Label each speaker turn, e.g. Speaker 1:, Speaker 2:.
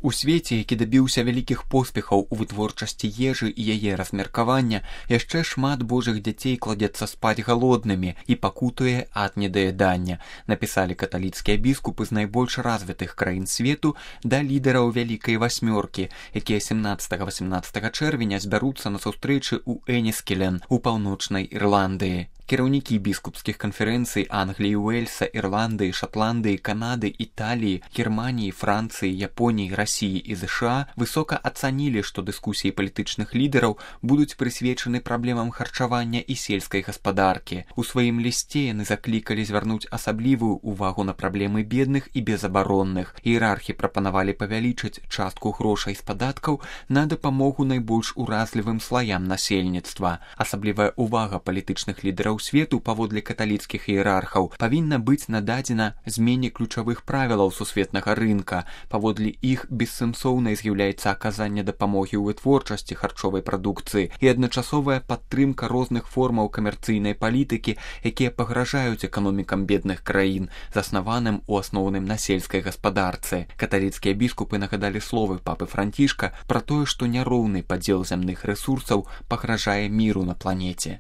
Speaker 1: У свеце, які дабіўся вялікіх поспехаў у вытворчасці ежы і яе размеркавання, яшчэ шмат божых дзяцей кладзецца спаць галоднымі і пакутуе ад недаядання, напісалі каталіцкія біскупы з найбольш развітых краін свету да лідараў Вялікай Васьмёркі, якія 17-18 чэрвеня збяруцца на сустрэчы ў Эніскелен у паўночнай Ірландыі. Кіраўнікі біскупскіх канферэнцый Англіі, Уэльса, Ірландыі, Шатландыі, Канады, Італіі, Германіі, Францыі, Японіі, Расіі і ЗША высока ацанілі, што дыскусіі палітычных лідараў будуць прысвечаны праблемам харчавання і сельскай гаспадаркі. У сваім лісце яны заклікалі звярнуць асаблівую ўвагу на праблемы бедных і безабаронных. Іерархі прапанавалі павялічыць частку грошай з падаткаў на дапамогу найбольш уразлівым слаям насельніцтва. Асаблівая ўвага палітычных лідараў свету паводле каталіцкіх іерархаў павінна быць нададзена змене ключавых правілаў сусветнага рынка. Паводле іх бессэнсоўнай з'яўляецца аказанне дапамогі ў вытворчасці харчовай прадукцыі і адначасовая падтрымка розных формаў камерцыйнай палітыкі, якія пагражаюць эканомікам бедных краін, заснаваным у асноўным на сельскай гаспадарцы. Каталіцкія біскупы нагадалі словы папы Францішка пра тое, што няроўны падзел зямных рэсурсаў пагражае міру на планеце.